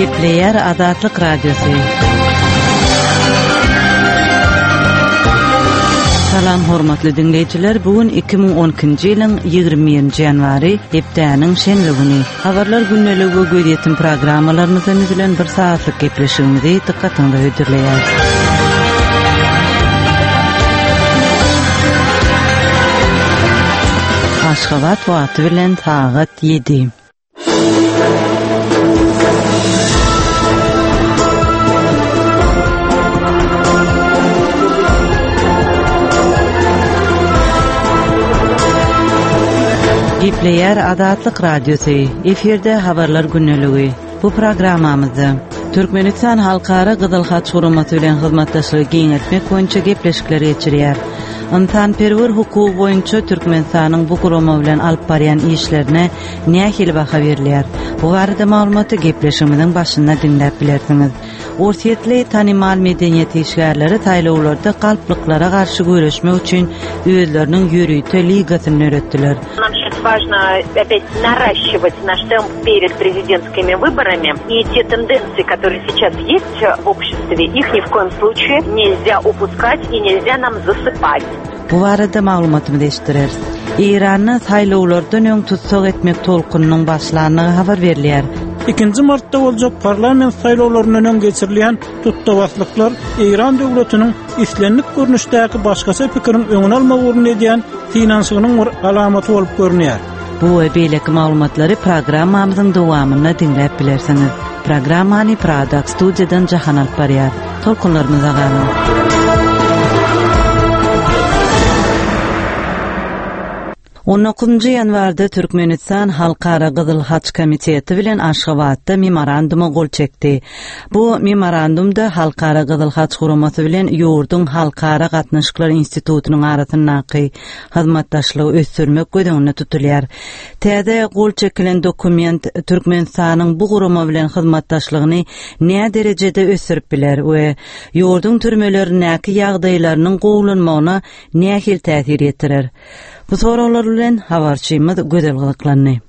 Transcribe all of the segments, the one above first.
Gepleýär Azatlyk Radiosy. Salam hormatly diňleýjiler, bu gün 2012-nji ýylyň 21-nji ýanwary, hepdäniň şenbe güni. Habarlar gündeligi we gözýetim programmalarymyzdan düzülen bir sagatlyk gepleşigimizi dykgatyňyza hödürleýäris. Aşgabat wagty bilen sagat 7. Gepleýär Azatlyk Radiosy, efirde Habarlar gündeligi. Bu programmamyzda Türkmenistan Halkara Gyzyl Haç Guramasy bilen hyzmatdaşlygy giňeltmek boýunça gepleşikler geçirýär. Ynsanperwer hukugy boýunça Türkmenistanyň bu gurama bilen alyp barýan işlerine nähili baha berilýär? Bu barada maglumaty gepleşigimiziň başynda diňläp bilersiňiz. Orsýetli tanymal medeniýet işgärleri saýlawlarda galplyklara garşy göreşmek üçin özleriniň ýörite ligasyny döretdiler. Нам сейчас важно опять наращивать наш темп перед президентскими выборами. И те тенденции, которые сейчас есть в обществе, их ни в коем случае нельзя упускать и нельзя нам засыпать. Bu barada maglumatymyzy eşitdireris. Eýranda saýlawlardan öň tussag etmek tolkunynyň başlandygy habar berilýär. Ikinji martda boljak parlament saýlawlaryndan öň geçirilýän tutdabaslyklar Eýran döwletiniň islendik görnüşdäki başgaça pikiriň öňüni almak ugrunda edýän synanyşygynyň bir alamaty bolup görünýär. Bu we beýleki maglumatlary programmamyzyň dowamynda diňläp bilersiňiz. Programmany Prada studiýadan Jahan alyp barýar. Tolkunlarymyza galyň. On dokuzynjy ýanwarda Türkmenistan Halkara Gyzyl Haç Komiteti bilen Aşgabatda memoranduma gol çekdi. Bu memorandumda Halkara Gyzyl Haç Guramasy bilen ýurduň Halkara gatnaşyklar institutynyň arasyndaky hyzmatdaşlygy ösdürmek göz öňünde tutulýar. Täze gol çekilen dokument Türkmenistanyň bu gurama bilen hyzmatdaşlygyny näderejede ösdürip biler we ýurduň türmelerindäki ýagdaýlarynyň gowulanmagyna nähili täsir ýetirer? Bu soraglar bilen habarçymyz Gözel gyzyklandy.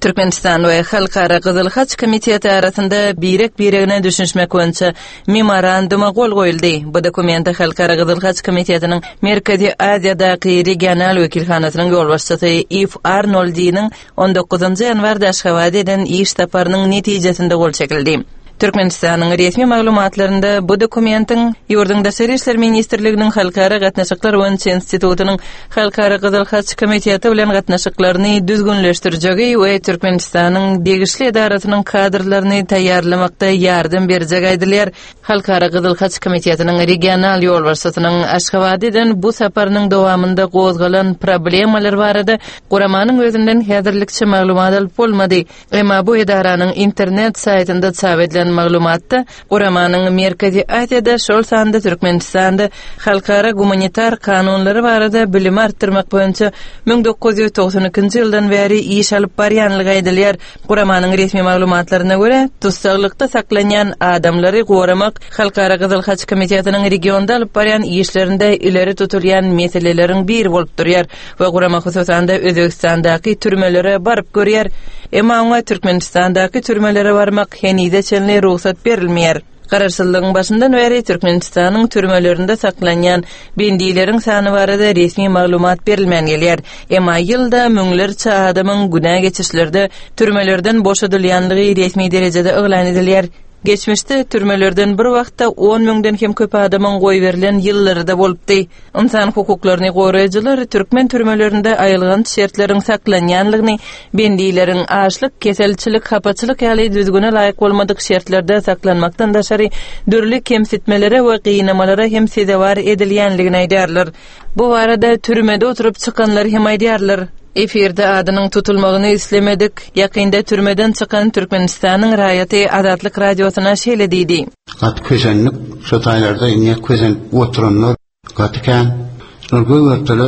Türkmenistan we Halkara Gyzyl Haç Komiteti arasynda birek-biregine düşünişmek boýunça Memoranduma gol goýuldy. Bu dokumente Halkara Gyzyl Haç Komitetiniň Merkezi Aziýadaky regional wekilhanasynyň ýolbaşçysy Iw Arnoldiniň on dokuzynjy ýanwarda Aşgabada eden iş saparynyň netijesinde gol çekildi. Türkmenistanyň resmi maglumatlarynda bu dokumentiň ýurduň Daşary işler ministrliginiň Halkara gatnaşyklar boýunça institutynyň Halkara Gyzyl Haç Komiteti bilen gatnaşyklaryny düzgünleşdirjegi we Türkmenistanyň degişli edarasynyň kadrlaryny taýýarlamakda ýardam berjegi aýdylýar. Halkara Gyzyl Haç Komitetiniň regional ýolbaşçysynyň Aşgabada eden bu saparynyň dowamynda gozgalan problemalar barada guramanyň özünden häzirlikçe maglumat alyp bolmady. Emma bu edaranyň internet saýtynda çap edilen maglumatda guramanyň Merkezi Aziýada, şol sanda Türkmenistanda halkara gumanitar kanunlary barada bilimi artdyrmak boýunça 1992-nji ýyldan bäri iş alyp barýanlygy aýdylýar. Guramanyň resmi maglumatlaryna görä, tussaglykda saklanýan adamlary goramak Halkara Gyzyl Haç Komitetiniň regionda alyp barýan işlerinde ileri tutulýan meseleleriň biri bolup durýar. we gurama hususan-da Özbegistandaky türmelere baryp görýär. Emma oňa Türkmenistandaky türmelere barmak henize çenli rugsat berilmeýär. Garaşsyzlygyň başyndan bäri Türkmenistanyň türmelerinde saklanýan bendileriň sany barada resmi maglumat berilmän gelýär. Emma ýylda müňlerçe adamyň günä geçişlerde türmelerden boşadylýanlygy resmi derejede yglan edilýär. Geçmişde türmelerden bir wagtda on müňden hem köp adamyň goýberilen ýyllary-da bolupdy. Ynsan hukuklaryny goraýjylar türkmen türmelerinde aýylganç şertleriň saklanýanlygyny, bendileriň açlyk, keselçilik, hapaçylyk ýaly düzgüne laýyk bolmadyk şertlerde saklanmakdan daşary dürli kemsitmelere we gynamalara hem sezewar edilýänligini aýdýarlar. Bu barada türmede oturyp çykanlar hem aýdýarlar. Efirde adynyň tutulmagyny islemedik, ýakynda türmeden çykan Türkmenistanyň raýaty Azatlyk Radiosyna şeýle diýdi. Gaty kösendik, şo taýlarda indi kösenip oturanlar gaty kän. Şolar gögertele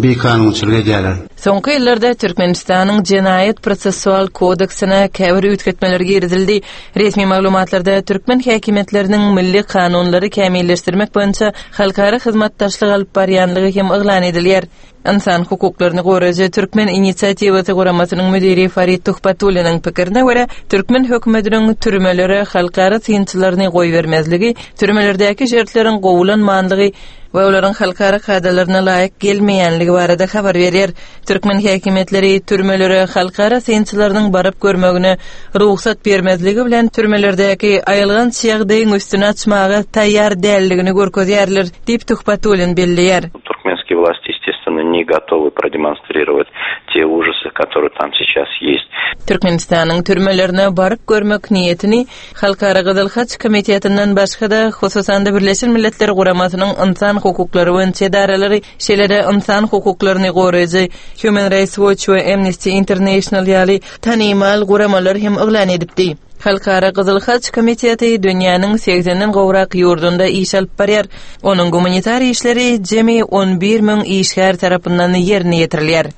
bikanunçylyk edýärler. Soňky ýyllarda Türkmenistanyň Jenaýat-prosessual kodeksine käbir üýtgetmeler girizildi. Resmi maglumatlarda türkmen häkimiýetleriniň milli kanunlary kämilleşdirmek boýunça halkara hyzmatdaşlyk alyp barýanlygy hem yglan edilýär. Ynsan hukuklaryny goraýjy Türkmen inisiatiwasy guramasynyň müdiri Farid Tuhbatulliniň pikirine görä, türkmen hökümetiniň türmelere halkara synçylaryny goýbermezligi, türmelerdäki şertleriň gowulanmanlygy we olaryň halkara kadalaryna laýyk gelmeýänligi barada habar berýär. Türkmen häkimiýetleri türmelere halkara synçylarynyň baryp görmegine rugsat bermezligi bilen türmelerdäki aýylganç ýagdaýyň üstüni açmaga taýýar däldigini görkezýärler, diýip Tuhbatullin belleýär. Туркменские власти, естественно, не готовы продемонстрировать те ужасы, которые там сейчас есть. Türkmenistanyň türmelerine baryp görmek niýetini Halkara Gyzyl Haç Komitetinden başga-da, hususan-da Birleşen Milletler Guramasynyň ynsan hukuklary boýunça edaralary, şeýle-de ynsan hukuklaryny goraýjy Human Rights Watch we Amnesty International ýaly tanymal guramalar hem yglan edipdi. Halkara Gyzyl Haç Komiteti dünýäniň segsenden gowrak ýurdunda iş alyp barýar. Onuň gumanitar işleri jemi 11 müň işgär tarapyndan ýerine ýetirilýär.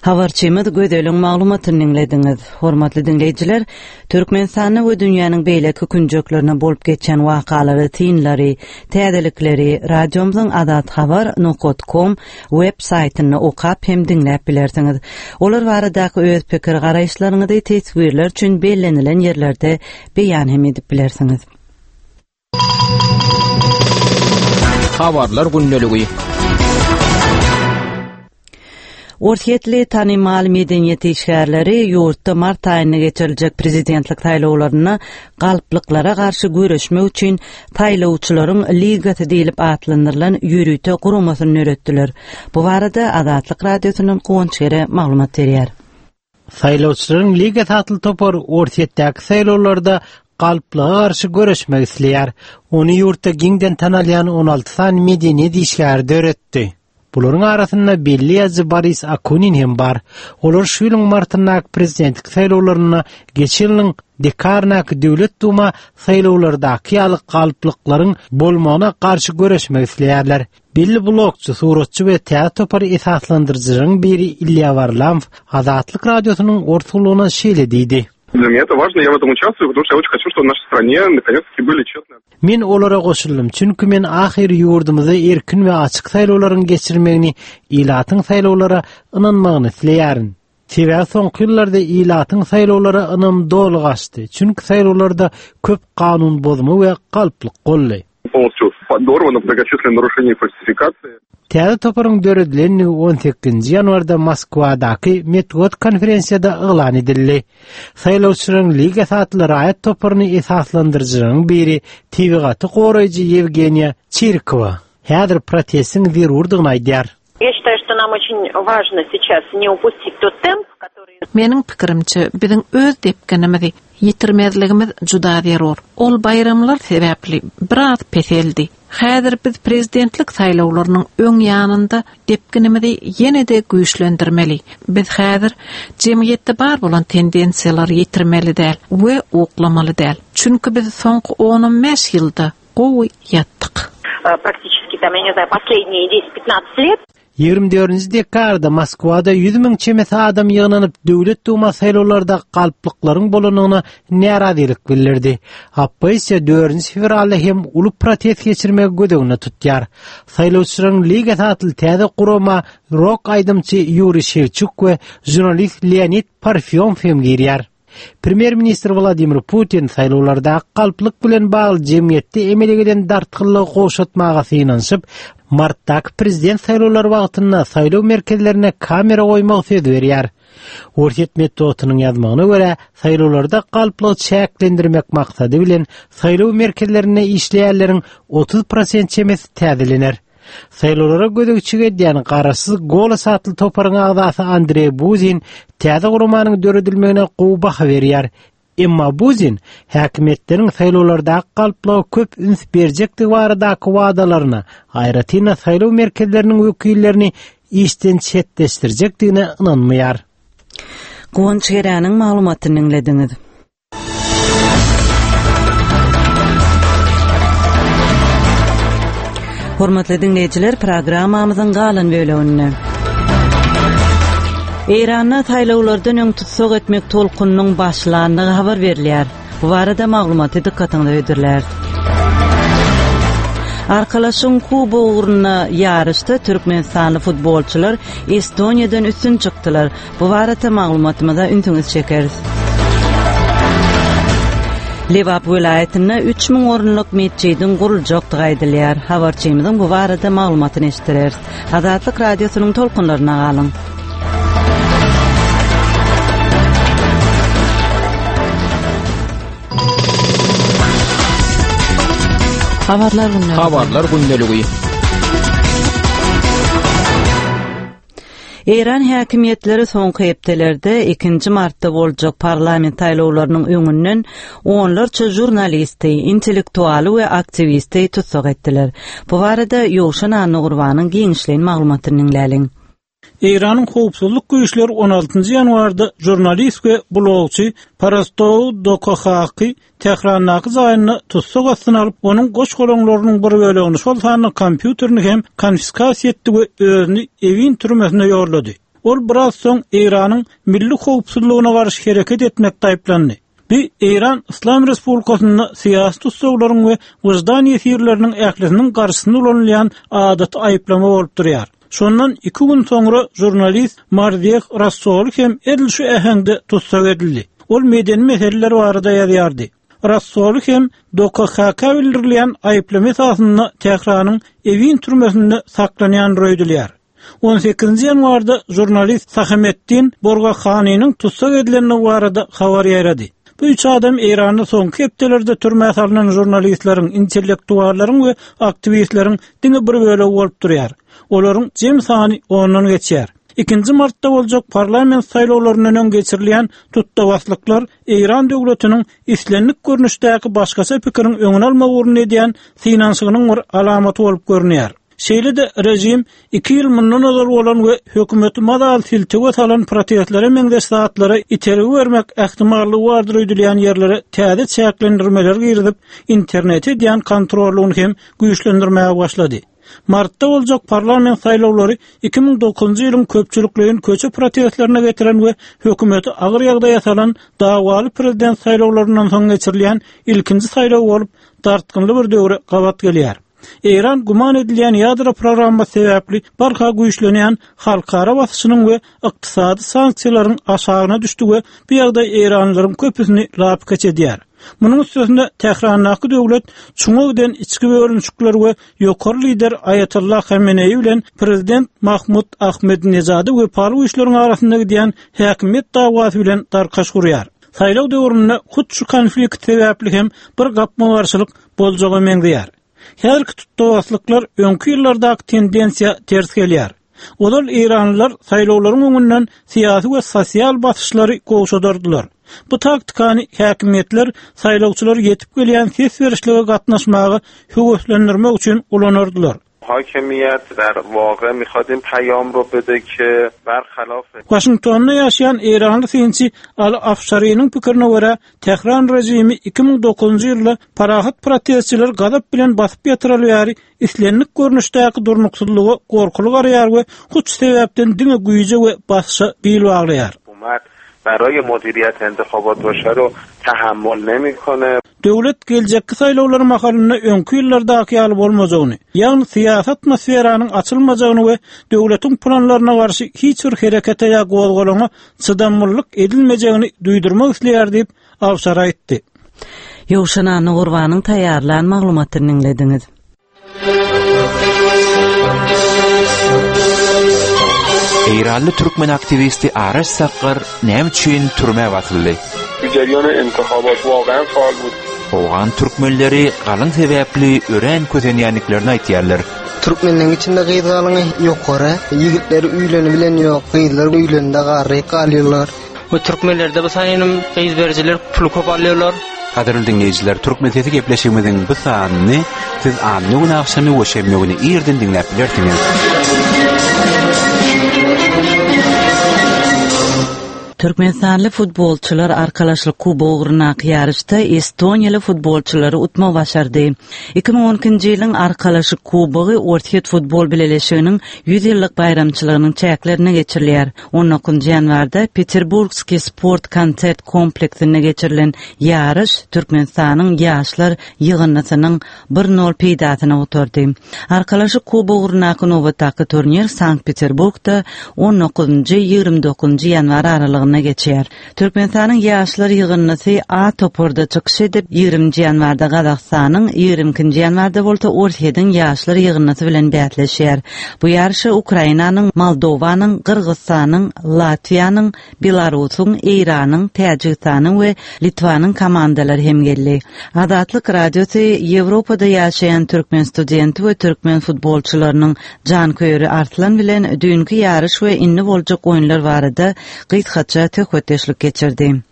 Habarçymyz Gözeliň maglumatyny diňlediňiz. Hormatly diňleýjiler, Türkmenistanda we dünýäniň beýleki künjeklerinde bolup geçýän wakalary, synlary, täzelikleri radiomyzyň azathabar nokat kom web saýtynda okap hem diňläp bilersiňiz. Olar baradaky öz pikir-garaýyşlaryňyzy teswirler üçin bellenilen ýerlerde beýan hem edip bilersiňiz. Habarlar gündeligi. Orsýetli tanymal medeniýet işgärleri ýurtda mart aýynda geçiriljek prezidentlik saýlawlarynda galplyklara garşy göreşmek üçin Saýlawçylaryň ligasy diýlip atlandyrylan ýörite guramasyny döretdiler. Bu barada Azatlyk Radiosyndan Guwanç Gere maglumat berýär. Saýlawçylaryň ligasy atly topar Orsýetdäki saýlawlarda galplyga garşy göreşmek isleýär. Ony ýurtda giňden tanalýan 16 sany medeniýet işgäri döretdi. Bularyň arasynda belli ýazyjy Boris Akunin hem bar. Olar şu ýylyň martyndaky prezidentlik saýlawlarynda geçen ýylyň dekabryndaky Döwlet Duma saýlawlardaky ýaly galplyklaryň bolmagyna garşy göreşmek isleýärler. Belli blogçy, suratçy we täze topary esaslandyryjylaryň biri Ilýa Warlamow Azatlyk Radiosynyň ors gullugyna şeýle diýdi. Для меня это важно, я в этом участвую, потому что я очень хочу, чтобы в нашей стране наконец-таки были честные. Men olara goşuldym, çünki men ahyry ýurdumyzda erkin we açyk saýlawlaryň geçirilmegini, ilatyň saýlawlara ynanmagyny isleýärin. Sebäbi soňky ýyllarda ilatyň saýlawlara ynamy doly gaçdy, çünki saýlawlarda köp kanun bozma we galplyk boldy. Täze toparyň döredilendigi on sekizinji ýanwarda Moskwadaky metbugat konferensiýada yglan edildi. Saýlawçylaryň ligasy atly raýat toparyny esaslandyryjylaryň biri tebigaty goraýjy Ýewgeniýa Çirkowa häzir protestiň zerurdygyny aýdýar. Ýa şitaýu, şto nam oçin wažno seças ne upustit tot temp, kotoryý. Meniň pikirimçe, biziň öz depginimizi ýitirmezligimiz juda zerur. Ol baýramlar sebäpli biraz peseldi. Häzir biz prezidentlik saýlawlarynyň öň ýanynda depginimizi ýene-de güýçlendirmeli. Biz häzir jemgyýetde bar bolan tendensiýalary ýitirmeli däl we uklamaly däl. Çünki biz soňky on-on bäş ýylda Gowy ýatdyk. Praktiçeski tam, ýa ne znaýu, posledniýe deset-pitnadset let. 24-nji dekabrda Moskwada 100 müň çemesi adam ýygnanyp, Döwlet Duma saýlawlarda galplyklaryň bolandygyna närazylyk bildirdi. Oppozisiýa dördünji fewralda hem uly protest geçirmegi göz öňünde tutýar. Saýlawçylaryň ligasy atly täze gurama rok aýdymçy Ýuriý Şewçuk we žurnalist Leonid Parfýonow hem girýär. Premýer-ministr Wladimir Putin saýlawlardaky galplyk bilen bagly jemgyýetde emele gelen dartgynlygy gowşatmaga synanyşyp, martdaky prezident saýlawlary wagtynda saýlaw merkezlerine kamera goýmagy söz berýär. Orsýet metbugatynyň ýazmagyna görä, saýlawlarda galplygy çäklendirmek maksady bilen saýlaw merkezlerinde işleýänleriň 30 prosent çemesi täzelener. Saýlawlara gözegçilik edýän garaşsyz Golos atly toparyň agzasy Andreý Buzin täze guramanyň döredilmegine gowy baha berýär. Emma Buzin häkimiýetleriň saýlawlardaky galplyga köp üns berjekdigi baradaky wadalaryna, aýratyn-da saýlaw merkezleriniň wekillerini işden çetleşdirjekdigine ynanmaýar. Guwanç Geräniň maglumatyny diňlediňiz. Hormatly diňleýjiler, programmamyzyň galan böleginde. Eýranda saýlawlardan öň tussag etmek tolkunynyň başlandygy habar berilýär. Bu barada maglumaty dykgatyňyza hödürläris. Arkalaşygyň kubogy ugrunda ýaryşda türkmenistanly futbolçylar Estoniýadan üstün çykdylar. Bu barada maglumatymyza ünsüňizi çekeris. Lebap welaýatynda 3000 orunlyk metjidiň guruljakdygy aýdylýar. Habarçymyzyň bu barada maglumatyny eşitdireris. Azatlyk Radiosynyň tolkunlaryna galyň. Habarlar gündeligi. Habarlar gündeligi. Eýran häkimiýetleri soňky hepdelerde ikinji martda boljak parlament saýlawlarynyň öňünden onlarça žurnalisti, intellektualy we aktiwisti tussag etdiler. Bu barada Ýowşan Annagurbanyň giňişleýin maglumatyny diňläliň. Eýranyň howpsuzlyk güýçleri on altynjy ýanwarda žurnalist we blogçy Parastou Dokohaky Tährandaky jaýynda tussag astyna alyp, onuň goş-golaňlarynyň bir bölegini, şol sanda kompýuterini hem konfiskasiýa etdi we özüni Ewin türmesine ýollady. Ol biraz soň Eýranyň milli howpsuzlygyna garşy hereket etmekde aýyplandy. Bu Eýran Yslam Respublikasynda syýasy tussaglaryň we wyždan ýesirleriniň ählisiniň garşysyna ulanylýan adaty aýyplama bolup durýar. Şondan iki gün soňra žurnalist Marzieh Rassoli hem edil şu äheňde tussag edildi. Ol medeni meseleler barada ýazýardy. Rassoli hem DOKHK bildirilýän aýyplama esasynda Tähranyň Ewin türmesinde saklanýandyr öýdülýär. On sekizinji ýanwarda žurnalist Sahametdin Borgahanynyň tussag edilendigi barada habar ýaýrady. Bu üç adam Eýranda soňky hepdelerde türmä salnan žurnalistleriň, intellektuallaryň we aktiwistleriň diňe bir bölegi bolup durýar. Olaryň jem sany ondan geçýär. Ikinji martda boljak parlament saýlawlaryndan öň geçirilýän tutdabaslyklar Eýran döwletiniň islendik görnüşdäki başgaça pikiriň öňüni almak ugrunda edýän synanyşygynyň bir alamaty bolup görünýär. Şeýle-de režim iki ýyl mundan ozal bolan we hökümeti mazaly siltewe salan protestlere meňzeş zatlara itergi bermek ähtimallygy bardyr öýdülýän ýerlere täze çäklendirmeleri girizip, internete edýän kontrollygyny hem güýçlendirmäge başlady. Martda boljak parlament saýlawlary 2009-njy ýylyň köpçülikleýin köçe protestlerine getiren we hökümeti agyr ýagdaýa salan dawaly prezident saýlawlaryndan soň geçirilýän ilkinji saýlaw bolup, dartgynly bir döwre gabat gelýär. Eýran güman edilýän ýadro programmasy sebäpli barha güýçlenýän halkara basyşynyň we ykdysady sanksiýalaryň aşagyna düşdi we bu ýagdaý eýranlylaryň köpüsini lapykeç edýär. Munuň üstesine Tährandaky döwlet çuňa giden içki bölünişikler we ýokary lider Aýatollah Hameneýi bilen prezident Mahmud Ahmedinejada wepaly güýçleriň arasynda gidýän häkimiýet dawasy bilen darkaş gurýar. Saýlaw döwründe hut şu konflikt sebäpli hem bir gapma-garşylyk boljaga meňzeýär. Häzirki tutdabaslyklar öňki ýyllardaky tendensiýa ters gelýär. Ozal eýranlylar saýlawlaryň öňünden syýasy we sosial basyşlary gowşadardylar. Bu taktikany häkimiýetler saýlawçylary ýetip gelýän ses berişlige gatnaşmaga höweslendirmek üçin ulanardylar. Hakimiýet der wage mikhad in payam ro bede ke berhalaf. Waşingtonda ýaşaýan eýranly synçy Aly Afşariniň pikirine görä, Tähran režimi 2009-njy ýylda parahat protestçileri gazap bilen basyp ýatyraly bäri islendik görnüşdäki durnuksyzlyga gorkuly garaýar we hut şu sebäpden diňe güýje we basyşa bil baglaýar. Baraýe mudiriyet entehabat başe ro tahammol nemikone. Döwlet geljekki saýlawlar mahalynda öňki ýyllardaky ýaly bolmajagyny, ýagny syýasy atmosferanyň açylmajagyny we döwletiň planlaryna garşy hiç bir herekete ýa gozgalaňa çydamlylyk edilmejegini duýdurmak isleýär diýip, Awşar aýtdy. Ýowşan Annagurbanyň taýýarlan maglumatyny diňlediňiz. Eýranly türkmen aktiwisti Araş Sakgar näme üçin türmä basyldy? Owgan türkmenleri galyň sebäpli örän kösenýändiklerini aýtýarlar. Türkmenleň içinde gyz galyňy ýokary, ýigitler üýleni bilen ýok, gyzlar üýlende garryp galýarlar. Bu türkmenlerde bu saýynym gyz berijiler pul köp alýarlar. Gadyrly diňleýjiler, Türkmen sesi gepleşigimiziň bu sanyny siz anna güni agşamy we şenbe güni irden diňläp bilersiňiz. Türkmenistanly futbolçylar Arkalaşyk kubogy ugrundaky ýaryşda estoniýaly futbolçylary utmagy başardy. 2012-nji ýylyň Arkalaşyk kubogy Orsýet futbol bileleşiginiň 100 ýyllyk baýramçylygynyň çäklerinde geçirilýär. On dokuzynjy ýanwarda Peterburgskiý sport konsert kompleksinde geçirilen ýaryş Türkmenistanyň ýaşlar ýygyndysynyň bir nol peýdasyna gutardy. Arkalaşyk kubogy ugrundaky nobatdaky turnir Sankt-Peterburgda on dokuzynjy, 29-njy ýanwar aralygynda geçer. Türkmenistanyň ýaşlar ýygyndysy A toparda çykyş edip, ýigriminji ýanwarda Gazagystanyň, ýigrimi ikinji ýanwarda bolsa Orsýetiň ýaşlar ýygyndysy bilen bäsleşer. Bu ýaryşa Ukrainanyň, Moldowanyň, Gyrgyzystanyň, Latwiýanyň, Belarusyň, Eýranyň, Täjigistanyň we Litwanyň komandalary hem geldi. Azatlyk Radiosy Ýewropada ýaşaýan türkmen studenti we türkmen futbolçylarynyň janköýeri Arslan bilen düýnki ýaryş we indi boljak oýunlar barada gysgaça söhbetdeşlik geçirdi.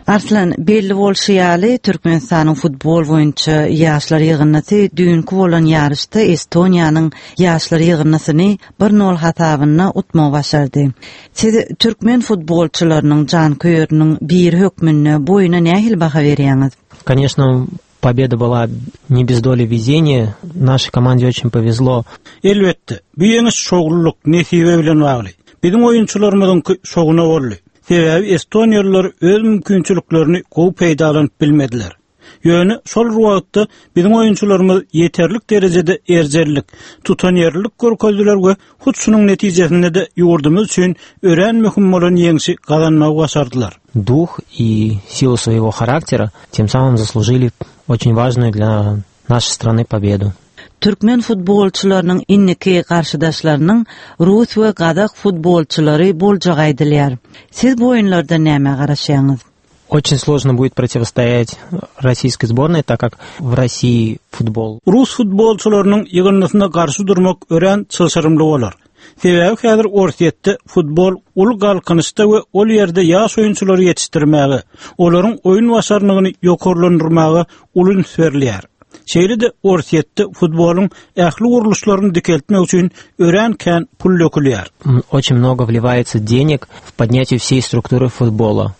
Arslan, belli bolşy ýaly, Türkmenistanyň futbol boýunça ýaşlar ýygyndysy düýnki bolan ýaryşda Estoniýanyň ýaşlar ýygyndysyny bir nol hasabynda utmagy başardy. Siz türkmen futbolçylarynyň janköýeriniň biri hökmünde bu oýna nähili baha berýäňiz? Koneşno, pobeda byla ne bez doli wezeniýa. Našeý komande oçin powezlo. Elbetde, bu ýeňiş şowlulyk, nesibe bilen bagly. Biziň oýunçylarymyzyňky şowuna boldy. Sebäbi estoniýalylar öz mümkinçiliklerini gowy peýdalanyp bilmediler. Ýöne şol bir wagtda biziň oýunçylarymyz ýeterlik derejede erjellik, tutanýerlilik görkezdiler we hut şunuň netijesinde-de ýurdumyz üçin örän möhüm bolan ýeňşi gazanmagy başardylar. Дух и силу своего характера, тем самым заслужили очень важную для нашей страны победу. Türkmen futbolçylarynyň indiki garşydaşlarynyň rus we gazak futbolçylary boljagy aýdylýar. Siz bu oýunlardan nämä garaşýaňyz? Очень сложно будет противостоять российской сборной, так как в России футбол. Rus futbolçylarynyň ýygyndysyna garşy durmak örän çylşyrymly bolar. Sebäbi häzir Orsýetde futbol uly galkynyşda we ol ýerde ýaş oýunçylary ýetişdirmäge, olaryň oýun başarnygyny ýokarlandyrmaga uly üns berilýär. Şeýle-de Orsýetde futbolyň ähli gurluşlaryny dikeltmek üçin örän kän pul dökülýär. Очень много wliwaется денег в поднятие всей структуры футбола.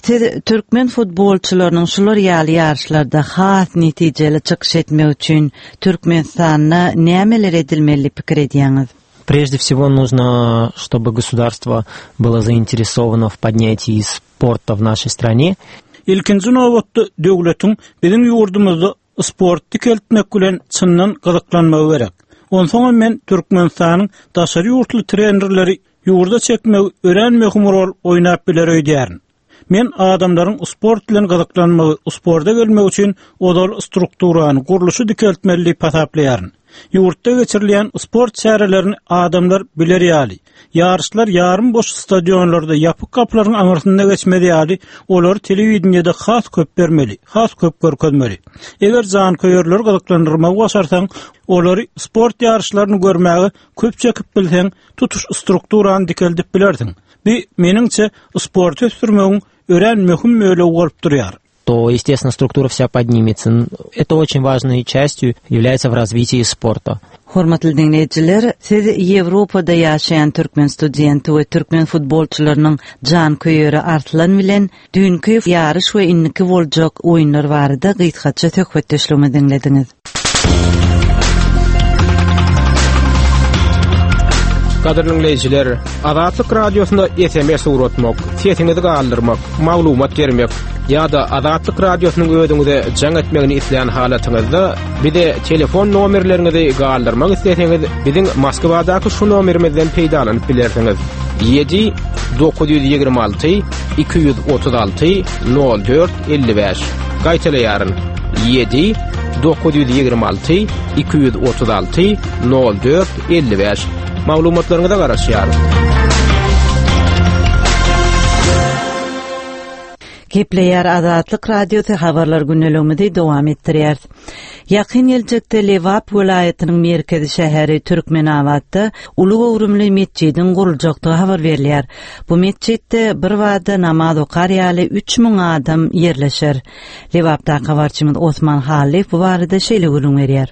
Siz türkmen futbolçylarynyň şular ýaly ýaryşlarda has netijeli çykyş etmegi üçin Türkmenistanda nämeler edilmeli diýip pikir edýäňiz? Прежде всего нужно, чтобы государство было заинтересовано в поднятии спорта в нашей стране. Ilkinji nobatda döwletiň biziň ýurdumyzda sporty dikeltmek bilen çyndan gyzyklanmagy gerek. Onsoňam men Türkmenistanyň daşary ýurtly trenerleri ýurda çekmegi örän möhüm rol oýnap biler öýdýärin. Men adamlaryň sport bilen gyzyklanmagy, sporta gelmegi üçin ozal strukturany, gurluşy dikeltmeli diýip hasaplaýaryn. Ýurtda geçirilýän sport çärelerini adamlar biler ýaly, ýaryşlar ýarym boş stadionlarda, ýapyk gapylaryň aňyrsynda geçmez ýaly, olary telewideniýede has köp bermeli, has köp görkezmeli. Eger janköýerleri gyzyklandyrmagy başarsaň, olary sport ýaryşlaryny görmäge köp çekip bilseň, tutuş strukturany dikeldip bilersiň. Bu, meniňçe, sporty ösdürmegiň örän möhüm bölegi bolup durýar. то, естественно, структура вся поднимется. Это очень важной частью является в развитии спорта. Hormatly diňleýjiler, siz Ýewropada ýaşaýan türkmen studenti we türkmen futbolçylarynyň janköýeri Arslan bilen düýnki ýaryş we indiki boljak oýunlar barada gysgaça söhbetdeşligimizi diňlediňiz. Gadyrly diňleýjiler, Azatlyk Radiosyna SMS ugratmak, sesiňizi galdyrmak, maglumat bermek ýa-da Azatlyk Radiosynyň özüňize jaň etmegini islän halatyňyzda bize telefon nomerleriňizi galdyrmak isleseňiz, biziň Moskwadaky şu nomerimizden peýdalanyp bilersiňiz. 7 926 236 04 55. Gaýtalaýaryn. 7 926 236 04 55. Maglumatlaryňyza garaşýarys. Gepleýär Azatlyk Radiosy habarlar gündeligimizi dowam etdirýäris. Ýakyn geljekde Lebap welaýatynyň merkezi şäheri Türkmenabatda uly göwrümli metjidiň guruljakdygy habar berilýär. Bu metjitde birbada namaz okar ýaly 3000 adam ýerleşer. Lebapdaky habarçymyz Osman Hallyýew bu barada şeýle gürrüň berýär.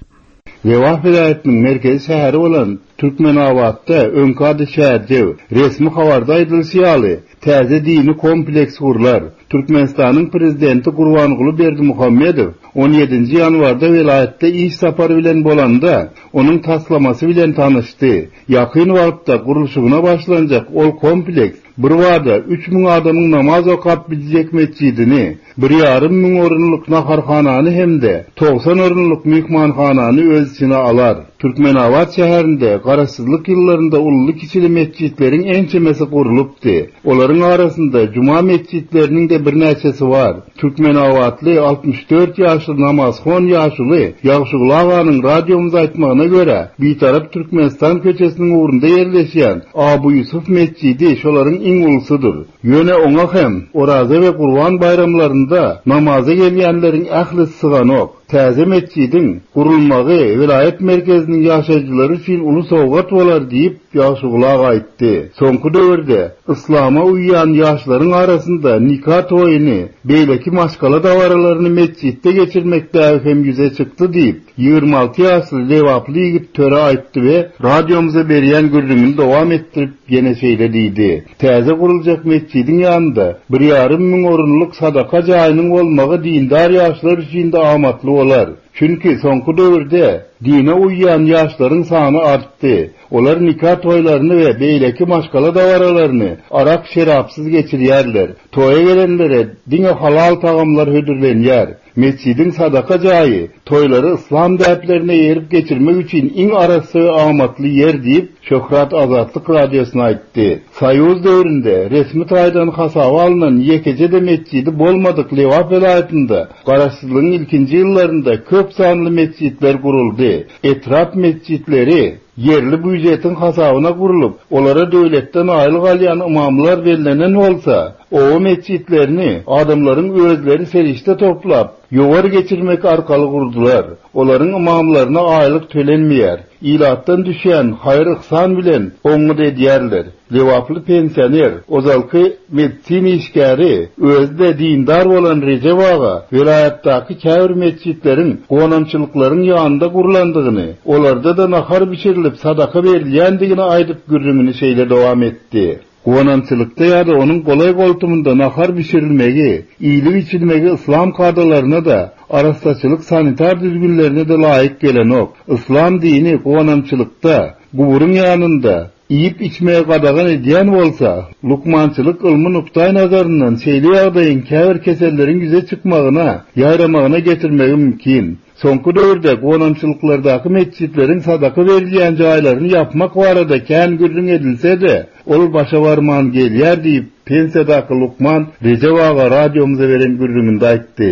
Lebap welaýatynyň merkezi şäheri bolan Türkmenabatda, öňki ady Çärjew, resmi habarda aýdylyşy ýaly, täze dini kompleks gurlar. Türkmenistanyň Prezidenti Gurbanguly Berdimuhamedow on ýedinji ýanwarda welaýatda iş sapary bilen bolanda, onuň taslamasy bilen tanyşdy. Ýakyn wagtda gurluşygyna başlanjak ol kompleks birbada 3000 adamyň namaz okap biljek metjidini, bir ýarym müň orunlyk naharhanany hem-de 90 orunlyk myhmanhanany öz içine alar. Türkmenabat şäherinde Garaşsyzlyk ýyllarynda ululy-kiçili metjitleriň ençemesi gurlupdy. Olaryň arasynda juma metjitleriniň-de birnäçesi bar. Türkmenabatly 64 ýaşly namazhon ýaşuly Ýagşyguly aganyň radiomyza aýtmagyna görä, Bitarap Türkmenistan köçesiniň ugrunda ýerleşýän Abu Ýusuf metjidi şolaryň iň ulusydyr. Ýöne oňa hem Oraza we Gurban baýramlarynda namaza gelýänleriň ählisi syganok. Täze metjidiň gurulmagy welaýat merkeziniň ýaşaýjylary üçin uly sowgat bolar diýip, Ýagşyguly aga aýtdy. Soňky döwürde yslama uýýan ýaşlaryň arasynda nika toýuny, beýleki maşgala dabaralaryny metjitde geçirmek däbi hem ýüze çykdy diýip, 26 ýaşly lebaply ýigit Töre aýtdy we radiomyza berýän gürrüňini dowam etdirip, ýene şeýle diýdi, Täze guruljak metjidiň ýanynda bir ýarym müň orunlyk sadaka jaýynyň bolmagy dindar ýaşlar üçin-de amatly bolar. Çünki soňky döwürde dine uýýan ýaşlaryň sany artdy. Olar nika toýlaryny we beýleki maşgala dabaralaryny arak-şerapsyz geçirýärler. Toýa gelenlere diňe halal tagamlar hödürlenýär. Metjidiň sadaka jaýy toýlary yslam däplerine eýerip geçirmek üçin iň arassa we amatly ýer diýip, Şöhrat Azatlyk Radiosyna aýtdy. Soýuz döwründe resmi taýdan hasaba alnan ýekeje-de metjidi bolmadyk Lebap welaýatynda garaşsyzlygyň ilkinji ýyllarynda köp sanly metjitler guruldy. Etrap metjitleri ýerli býujetiň hasabyna gurlup, olara döwletden aýlyk alýan ymamlar bellenen bolsa, Oba metjitlerini adamlaryň özleri serişde toplap, ýowar geçirmek arkaly gurdular. Olaryň ymamlaryna aýlyk tölenmeýär. Ilatdan düşýän haýyr-yhsan bilen oňňut edýärler. Lebaply pensioner, ozalky medisina işgäri, özi-de dindar bolan Rejep aga welaýatdaky käbir metjitleriň gonamçylyklaryň ýanynda gurlandygyny, olarda-da nahar bişirilip sadaka berilýändigini aýdyp gürrüňini şeýle dowam etdi. Gonamçylykda ýa-da onuň golaý-goltumynda nahar bişirilmegi, iýlip-içilmegi yslam kadalaryna-da, arassaçylyk-sanitar düzgünlerine-de laýyk gelenok. Yslam dini gonamçylykda, guburyň ýanynda iýip-içmegi gadagan edýän bolsa, lukmançylyk ylmy nukdaýnazaryndan şeýle ýagdaýyň käbir keselleriň ýüze çykmagyna, ýaýramagyna getirmegi mümkin. Soňky döwürde gonamçylyklardaky metjitleriň sadaka berilýän jaýlaryny ýapmak barada kän gürrüň edilse-de, ol başa barman gelýär diýip, pensiýadaky lukman Rejep aga radiomyza beren gürrüňinde aýtdy.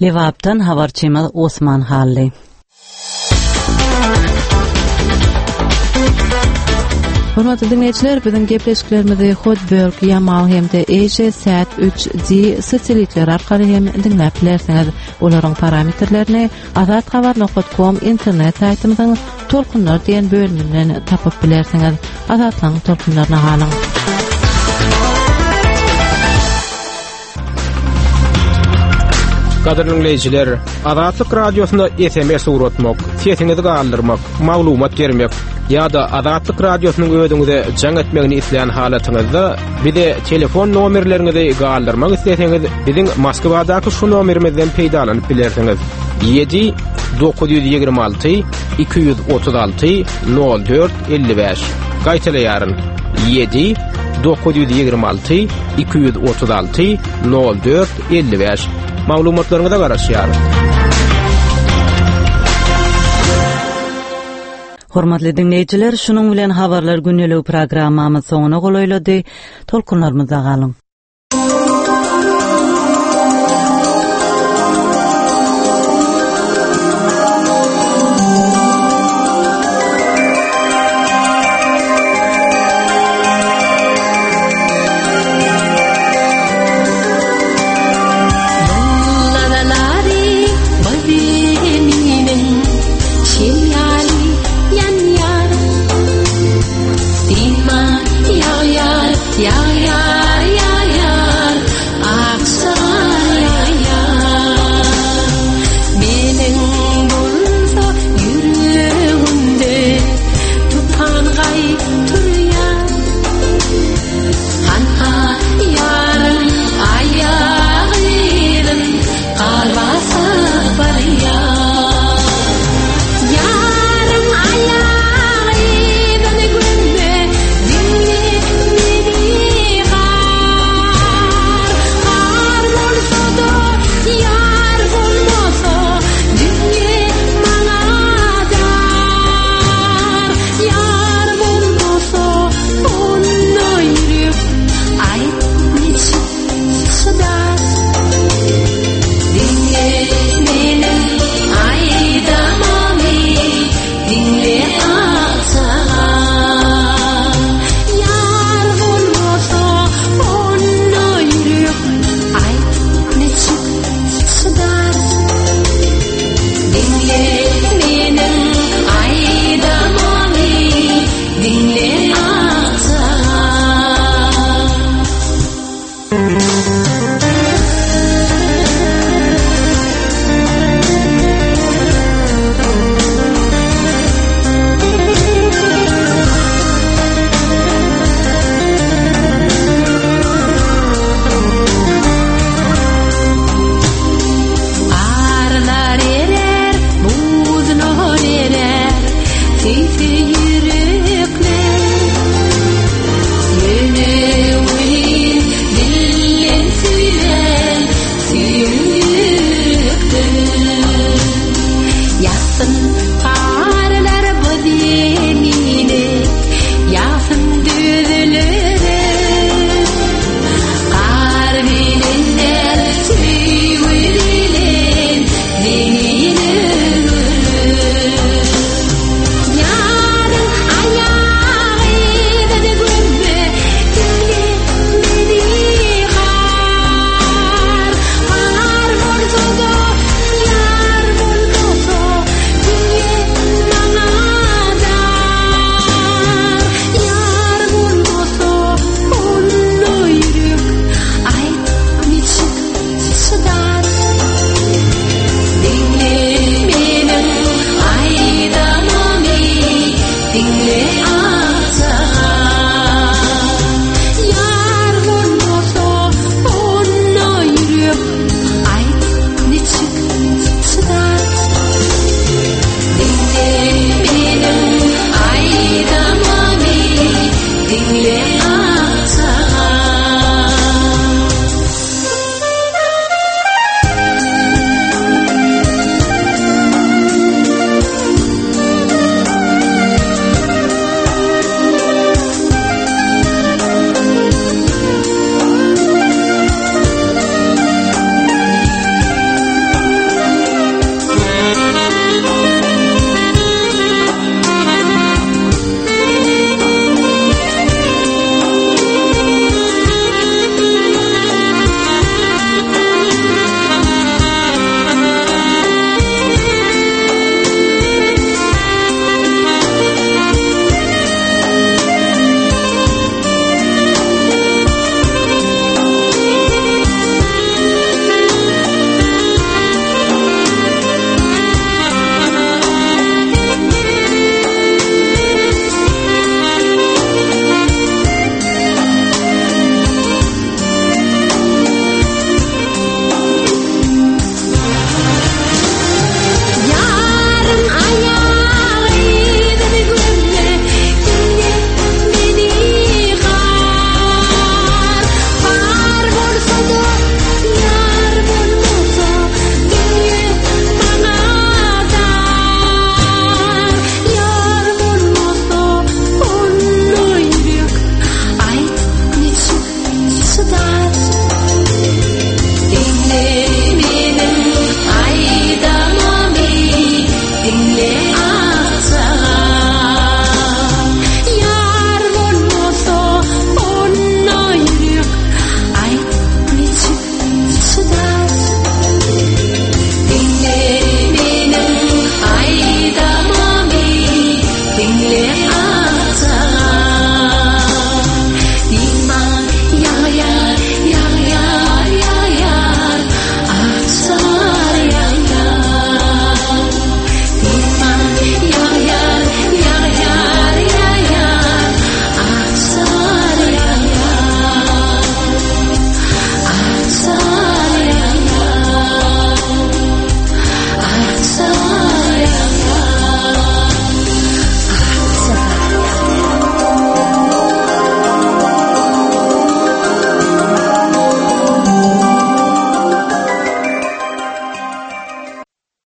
Lebapdan habarçymyz Osman Hally. Hormatly diňleýjiler, biziň gepleşiklerimizi Hotbird, Yamal hem-de Asia Sat 3D satelitleri arkaly hem diňläp bilersiňiz. Olaryň parametrlerini azathabar.com internet saýtymyzyň Tolkunlar diýen bölüminden tapyp bilersiňiz. Azatlygyň tolkunlaryna galyň. Gadyrly diňleýjiler, Azatlyk Radiosyna SMS ugratmak, sesiňizi galdyrmak, maglumat bermek ýa-da Azatlyk Radiosynyň özüňize jaň etmegini islän halatyňyzda bize telefon nomerleriňizi galdyrmak isleseňiz, biziň Moskwadaky şu nomerimizden peýdalanyp bilersiňiz. 7 926 236 04 55. Gaýtalaýaryn. 7 926 236 04 55. Maglumatlaryňyza garaşýarys. Hormatly diňleýjiler, şunuň bilen Habarlar gündeligi programmamyz soňuna golaýlady. Tolkunlarymyzda galyň.